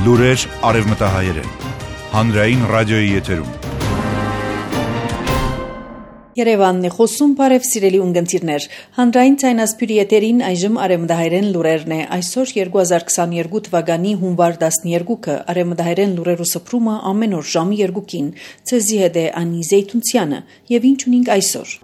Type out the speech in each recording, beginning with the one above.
Լուրեր արևմտահայերեն, հանրային ռադիոյի եթերում։ Երևանն է խոսում, բարև սիրելի ունգընտիրներ, հանրային ցայնասպյուրի եթերին այժմ արևմտահայերեն լուրերն է, այսօր 2022 թվականի հունվար 12-ը, արևմտահայերեն լուրերու սփռումը ամեն օր ժամի 2-ին, ցեզի հետ է Անի Զեյթունցյանը, եւ ինչ ունենք այսօր։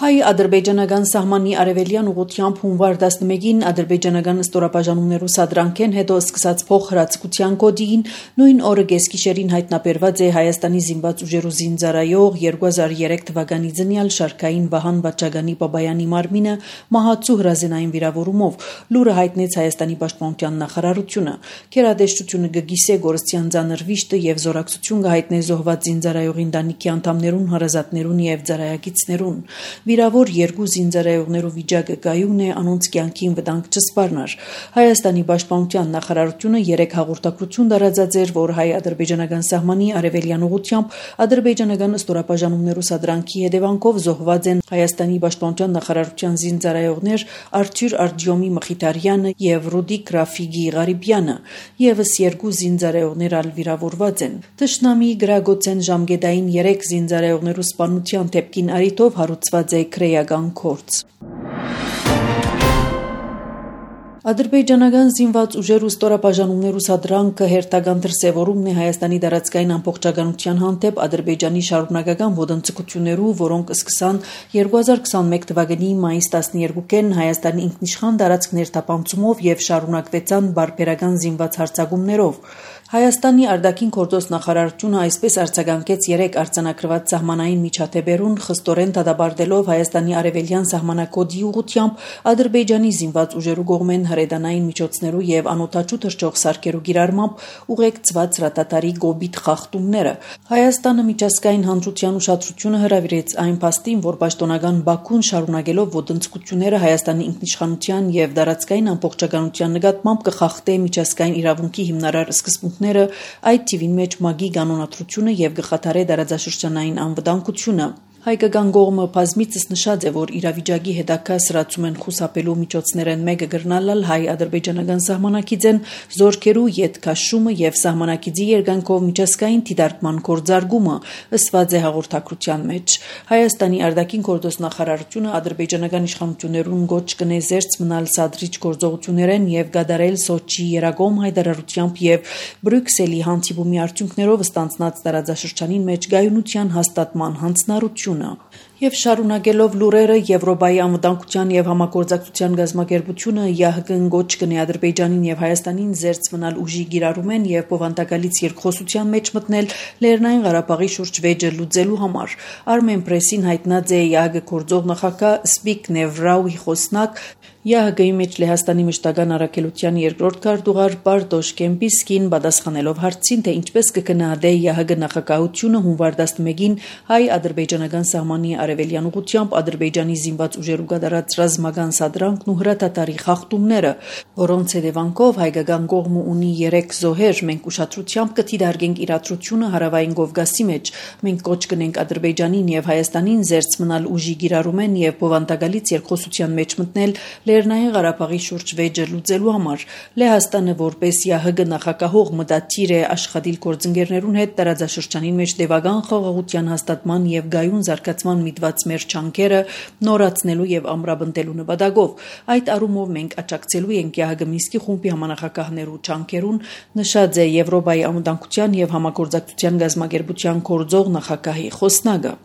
Հայ-ադրբեջանական սահմանի արևելյան ուղղությամբ հունվար 11-ին ադրբեջանական ստորաբաժանումներու սադրանքեն հետո սկսած փոխհրացակցության կոդին նույն օրը գեսկիշերին հայտնաբերված է Հայաստանի զինված ուժերու զինծառայող 2003 թվականի ծնյալ Շարքային Վահան Վաչագանի Բաբայանի մարմինը մահացու հրազենային վիրավորումով, լուրը հայտնեց Հայաստանի պաշտպանության նախարարությունը։ Գերատեսչությունը գգիսե գորստյան ծանր վիշտը եւ զորակցություն կհայտնե զոհված զինծառայողի ընտանիքի անդամներուն, հարազատներուն եւ ծառայակիցներուն։ Վիրավոր երկու զինծառայողներու վիճակը կայուն է, անոնց կյանքին վտանգ չսպառնար։ Հայաստանի պաշտպանության նախարարությունը 3 հաղորդակցություն տարածած էր, որ հայ-ադրբեջանական սահմանի արևելյան ուղղությամբ ադրբեջանական ստորաբաժանումներու սադրանքի հետևանքով զոհված են Հայաստանի պաշտպանության նախարարության զինծառայողներ Արթուր Արտյոմի Մխիթարյանը եւ Ռուդիկ Ռաֆիգի Ղարիբյանը, եւս երկու զինծառայողներ ալ վիրավորված են։ Տշնամի գրագոցեն ժամկետային 3 զինծառայողներու սպանության դեպքին արիտով հարուցված է քրեական գործ։ Ադրբեջանական զինված ուժերու ստորաբաժանումներու սադրանքը հերթական դրսևորումն է Հայաստանի տարածքային ամբողջականության հանդեպ Ադրբեջանի շարունակական ոտնձգություններու, որոնք սկսան 2021 թվականի մայիս 12-ին Հայաստանի ինքնիշխան տարածք ներթափանցումով եւ շարունակվեցան բարբերական զինված հարձակումներով։ Հայաստանի արտաքին գործոս նախարարությունը այսպես արձագանքեց 3 արձանագրված սահմանային միջադեպերուն, խստորեն դադարելով Հայաստանի արևելյան սահմանակոդի ուղղությամբ Ադրբեջանի զինված ուժերու կողմեն հրետանային միջոցներու եւ անօթաչու թռչող սարքերու գիրառմամբ ուղեկցված ռատատարի գոբիթ խախտումները։ Հայաստանը միջազգային հանրության ուշադրությունը հրավիրեց այն փաստին, որ պաշտոնական Բաքուն շարունակելով ոտնձգությունները Հայաստանի ինքնիշխանության եւ տարածքային ամբողջականության նկատմամբ կխախտե միջազգային իրավունքի հիմնարար սկզբունքները, այդ թիվին մեջ ՄԱԳ-ի կանոնադրությունը եւ գխաթարե տարածաշրջանային անվտանգությունը։ Հայկական կողմը բազմիցս նշած է, որ իրավիճակի հետագա սրացում են խուսափելու միջոցներեն մեկը գրնալալ հայ-ադրբեջանական սահմանակիցեն զորքերու ետքաշումը եւ սահմանակիցի երկանքով միջազգային դիտարկման կորձարգումը, ըսված է հաղորդակցության մեջ։ Հայաստանի արտաքին գործոս նախարարությունը ադրբեջանական իշխանություններուն գոչ կնե զերծ մնալ սադրիչ գործողություններեն եւ գադարել Սոչի երակոմ հայտարարությամբ եւ Բրյուսելի հանդիպումի արդյունքներով ստանձնած տարածաշրջանին մեջ գայունության հաստատման հանձնառություն Եվ շարունակելով լուրերը Եվրոպայի անվտանգության եւ համագործակցության գազམ་ակերպությունը ՀՀԿ-ն գոչ կնի Ադրբեջանին եւ Հայաստանին զերծ մնալ ուժի գիրառումեն եւ բովանդակալից երկխոսության մեջ մտնել Լեռնային Ղարաբաղի շուրջ վեճը լուծելու համար։ Armen Press-ին հայտնած է ՀՀԿ գործող նախագահ Զբիգնև Ռաուի խոսնակ ՀՀԿ-ի մեջ Լեհաստանի մշտական առաքելության երկրորդ քարտուղար Բարդոշ Կեմպիսկին պատասխանելով հարցին, թե ինչպես կգնահատե ՀՀԿ նախագահությունը հունվար 11-ին հայ-ադրբեջանական սահմանի արևելյան ուղղությամբ Ադրբեջանի զինված ուժերու կատարած ռազմական սադրանքն ու հրատատարի խախտումները, որոնց հետևանքով հայկական կողմը ունի 3 զոհեր, մենք ուշադրությամբ կդիտարկենք իրադրությունը հարավային Կովկասի մեջ, մենք կոչ կնենք Ադրբեջանին եւ Հայաստանին զերծ մնալ ուժի գիրառումեն եւ բովանդակալից երկխոսության մեջ մտնել Լեռնային Ղարաբաղի շուրջ վեճը լուծելու համար։ Լեհաստանը որպես ՀՀԿ նախագահող մտադիր է աշխատել գործընկերներուն հետ տարածաշրջանին մեջ տևական խաղաղության հաստատման եւ գայուն զարգացման միտված մեր չանքերը նորացնելու եւ ամրապնդելու նպատակով։ Այդ առումով մենք աջակցելու ենք ՀՀԿ Մինսկի խումբի համանախագահներու չանքերուն, նշած է Եվրոպայի անվտանգության եւ համագործակցության գազམ་ակերպության գործող նախագահի խոսնակը։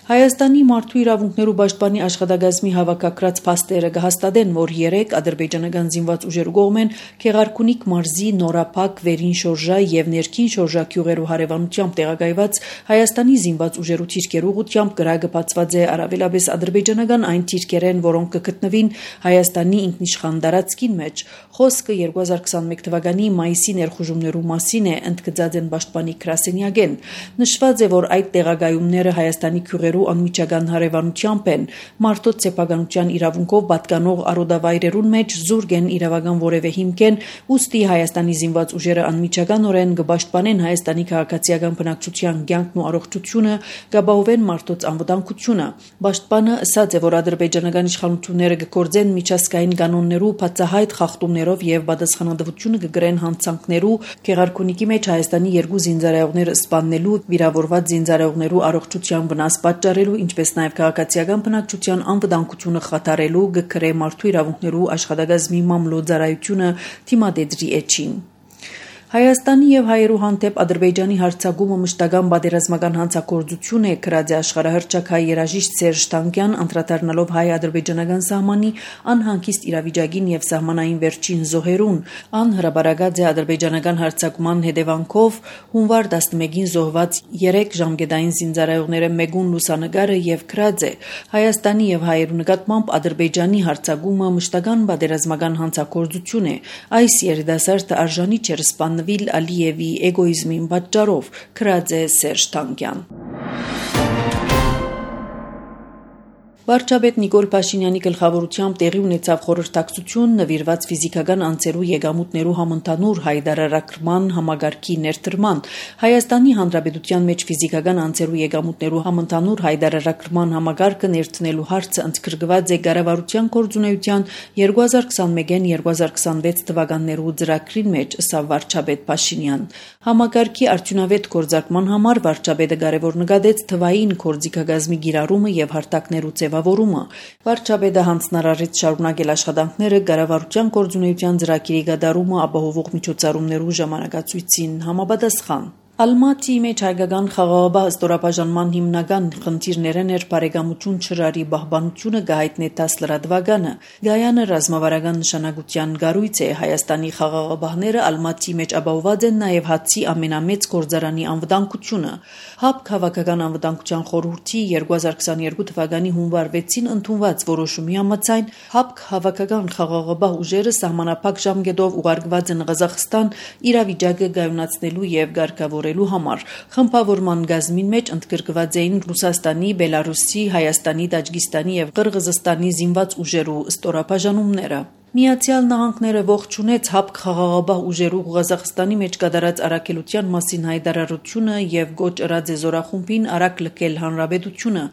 Հայաստանի մարդու իրավունքներու պաշտպանի աշխատակազմի հավաքակրած փաստերը կհաստատեն, որ 3 ադրբեջանական զինված ուժերու կողմեն Քեղարքունիք մարզի Նորափակ, Վերին Շորժա եւ Ներքին Շորժա գյուղերու հարևանությամբ տեղակայված Հայաստանի զինված ուժերու թիրքերու ուղղությամբ կրակը բացված է առավելապես ադրբեջանական այն թիրքերեն, որոնք կգտնվին Հայաստանի ինքնիշխան տարածքին մեջ։ Խոսքը 2021 թվականի մայիսի ներխուժումներու մասին է, ընդգծած են պաշտպանի Գրասենյակեն։ Նշված է, որ այդ տեղակայումները Հայաստանի յուղերու անմիջական հարևանությամբ են, մարդոց սեփականության իրավունքով պատկանող արոդավայրերուն մեջ զուրկ են իրավական որևէ հիմքեն, ուստի Հայաստանի զինված ուժերը անմիջականորեն կպաշտպանեն Հայաստանի քաղաքացիական բնակչության կյանքն ու առողջությունը, կապահովեն մարդոց անվտանգությունը։ Պաշտպանը ասաց է, որ ադրբեջանական իշխանությունները կգործեն միջազգային կանոններու բացահայտ խախտումներով եւ պատասխանատվությունը կգրեն հանցանքներու, Գեղարքունիքի մեջ Հայաստանի 2 զինծառայողներ սպաննելու, վիրավորված զինծառայողներու առողջության վնաս պատճառելու, ինչպես նաեւ քաղաքացիական բնակչության անվտանգությունը խաթարելու, կգրե մարդու իրավունքներու աշխատակազմի մամլոյցարայությունը թիմադեդրի էջին։ Հայաստանի եւ հայերու հանդեպ Ադրբեջանի հարձակումը մշտական պատերազմական հանցագործություն է, գրած է աշխարհահռչակ հայ երաժիշտ Սերժ Թանկյան, անդրադառնալով հայ-ադրբեջանական սահմանի անհանգիստ իրավիճակին եւ սահմանային վերջին զոհերուն։ Ան հրաբարացած է ադրբեջանական հարձակման հետևանքով հունվար 11-ին զոհված 3 ժամկետային զինծառայողները մեգուն լուսանկարը եւ գրած է. Հայաստանի եւ հայերու նկատմամբ Ադրբեջանի հարձակումը մշտական պատերազմական հանցագործություն է։ Այս երիտասարդը արժանի չէր սպանվել Ալիևի էգոիզմին պատճառով, գրած է Սերժ Թանկյան։ Վարչապետ Նիկոլ Փաշինյանի գլխավորությամբ տեղի ունեցավ խորհրդակցություն նվիրված ֆիզիկական անձերու եկամուտներու համընդհանուր հայտարարական համագարքի ներդրման։ Հայաստանի Հանրապետության մեջ ֆիզիկական անձերու եկամուտներու համընդհանուր հայտարարական համագարքը ներդնելու հարցը ընդգրկված է կառավարության գործունեության 2021-2026 թվականներու ծրագրին մեջ, ըստ վարչապետ Փաշինյան։ Համագարքի արդյունավետ գործարկման համար վարչապետը կարևոր նկատեց թվային գործիքագազմի գիրառումը եւ հարթակներու ձևավորումը։ Վարչապետը հանձնարարեց շարունակել աշխատանքները կառավարության գործունեության ծրագրի կատարումը ապահովող միջոցառումներու ժամանակացույցին համապատասխան։ Ալմատիի մեջ հայկական խաղաղապահ ստորաբաժանման հիմնական խնդիրներն էր բարեկամություն շրարի պահպանությունը գահիտնե 10 լրատվականը։ Գայանը ռազմավարական նշանակության կառույց է։ Հայաստանի խաղաղապահները Ալմատիի մեջ ապահոված են նաև հացի ամենամեծ գործարանի անվտանգությունը։ ՀԱՊԿ Քաղաքական անվտանգության խորհրդի 2022 թվականի հունվար 6-ին ընդունված որոշումի համաձայն ՀԱՊԿ հավաքական խաղաղապահ ուժերը սահմանափակ ժամկետով ուղարկված են Ղազախստան իրավիճակը կայունացնելու եւ ղեկավարելու համար։ Խմբավորման գազմին մեջ ընդգրկված էին Ռուսաստանի, Բելարուսի, Հայաստանի, Տաջիկստանի եւ Կырգызստանի զինված ուժերու ստորաբաժանումները։ Միացյալ Նահանգները ողջունեց ՀԱՊԿ խաղաղապահ ուժերու Ղազախստանի մեջ կատարած առաքելության մասին հայտարարությունը եւ գոչ ըրած է զորախումբին արագ լքել հանրապետությունը,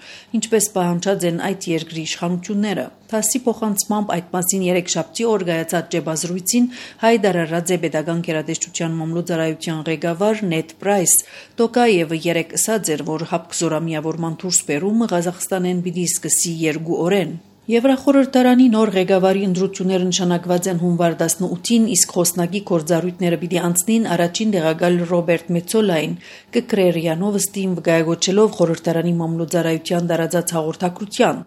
ինչպես պահանջած են այդ երկրի իշխանությունները։ ԹԱՍ-ի փոխանցմամբ այդ մասին երեքշաբթի օր կայացած ջեբազրույցին հայտարարած է Պետական գերատեսչության մամլոյցարայության ղեկավար Նեդ Պրայս։ Տոկաևը երեկ ասաց էր, որ ՀԱՊԿ զորամիավորման դուրս բերումը Ղազախստանեն պիտի սկսի 2 օրեն։ Եվրախորհրդարանի նոր ղեկավարի ընտրությունները նշանակված են հունվար 18-ին, իսկ խոսնակի գործառույթները պիտի անցնին առաջին տեղակալ Ռոբերտ Մեծոլային, Կկրերյանովստին վկայակոչելով խորհրդարանի մամլոյցարայության տարածած հաղորդակցության։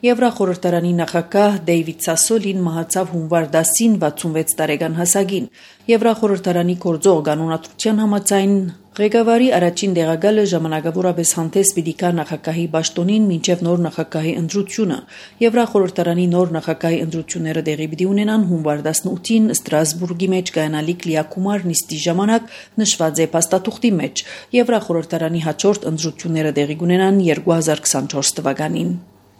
Եվրախորհրդարանի նախագահ Դեյվիդ Սասոլին մահացավ հունվար 10-ին 66 տարեկան հասակին։ Եվրախորհրդարանի գործող կանոնադրության համաձայն ղեկավարի առաջին տեղակալը ժամանակավորապես հանդես պիտի գա նախագահի պաշտոնին մինչև նոր նախագահի ընտրությունը։ Եվրախորհրդարանի նոր նախագահի ընտրությունները տեղի պիտի ունենան հունվար 18-ին Ստրասբուրգի մեջ կայանալիք լիակումար նիստի ժամանակ նշված է փաստաթուղթի մեջ։ Եվրախորհրդարանի հաջորդ ընտրությունները տեղի կունենան 2024 թվականին։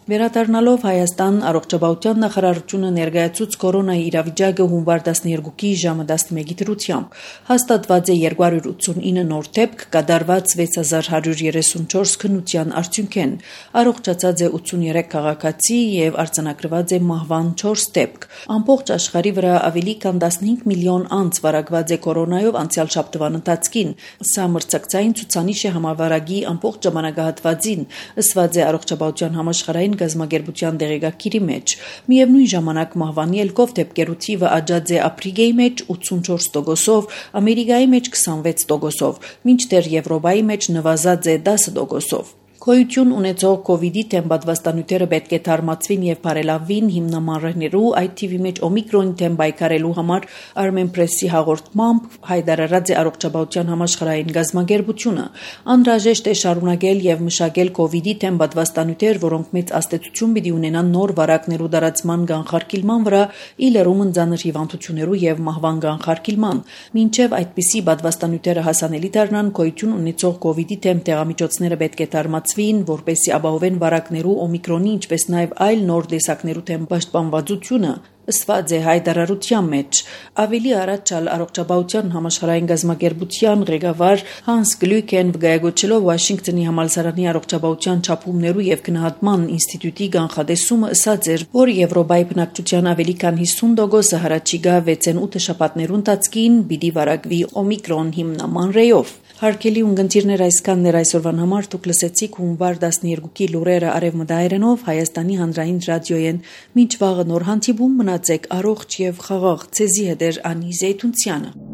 Վերադառնալով Հայաստան, առողջապահության նախարարությունը ներկայացուց կորոնայի իրավիճակը հունվար 12-ի ժամը 11-ի դրությամբ։ Հաստատված է 289 նոր դեպք, կատարված 6134 քննության արդյունքեն։ Առողջացած է 83 քաղաքացի եւ արձանագրված է մահվան 4 դեպք։ Ամբողջ աշխարհի վրա ավելի քան 15 միլիոն անց վարակված է կորոնայով անցյալ շաբթվան ընթացքին։ Սա մրցակցային ցուցանիշ է համավարակի ամբողջ ժամանակահատվածին, ըստ առողջապահության համաշխարհային գազագերբության դեղեկագիրի մեջ։ Միևնույն ժամանակ մահվանի ելքով դեպքերու թիվը աճած է Աֆրիկայի մեջ 84%-ով, Ամերիկայի մեջ 26%-ով, մինչդեռ Եվրոպայի մեջ նվազած է 10%-ով։ Գոյություն ունեցող COVID-ի դեմ պատվաստանյութերը պետք է թարմացվին եւ բարելավվին հիմնամարներու, այդ թիվի մեջ օմիկրոնի դեմ պայքարելու համար Armenpress-ի հաղորդմամբ հայտարարած է առողջապահության համաշխարհային գազագերբությունը։ Անհրաժեշտ է շարունակել եւ մշակել COVID-ի դեմ պատվաստանյութեր, որոնք մեծ ազդեցություն պիտի ունենան նոր վարակներու տարածման կանխարգելման վրա, ի լրումն ծանր հիվանդություններու եւ մահվան կանխարգելման։ Մինչեւ այդպիսի պատվաստանյութերը հասանելի դառնան, գոյություն ունեցող COVID-ի դեմ դեղամիջոցները պետք է թարմացվեն կայունացվին, որպեսզի ապահովեն վարակներու օմիկրոնի, ինչպես նաև այլ նոր տեսակներու թեմ պաշտպանվածությունը, ըսված է հայտարարության մեջ։ Ավելի առաջ առողջապահության համաշխարհային գազམ་ակերպության ղեկավար Հանս Գլյուկեն վկայակոչելով Վաշինգտոնի համալսարանի առողջապահության չափումներու եւ գնահատման ինստիտուտի կանխատեսումը ասաց էր, որ Եվրոպայի բնակչության ավելի քան 50% հառաջիկա 6-8 շաբաթներուն տածկին պիտի վարակվի օմիկրոն հիմնական ռեյով։ Հարկելի ունգընտիրներ այսքաններ այսօրվան համար դուք լսեցիք հունվար 12-ի լուրերը արևմտահայերենով Հայաստանի հանրային ռադիոյեն։ Մինչ վաղը նոր հանդիպում մնացեք առողջ եւ խաղաղ։ Ցեզի հետ Անի Զեյթունցյանը։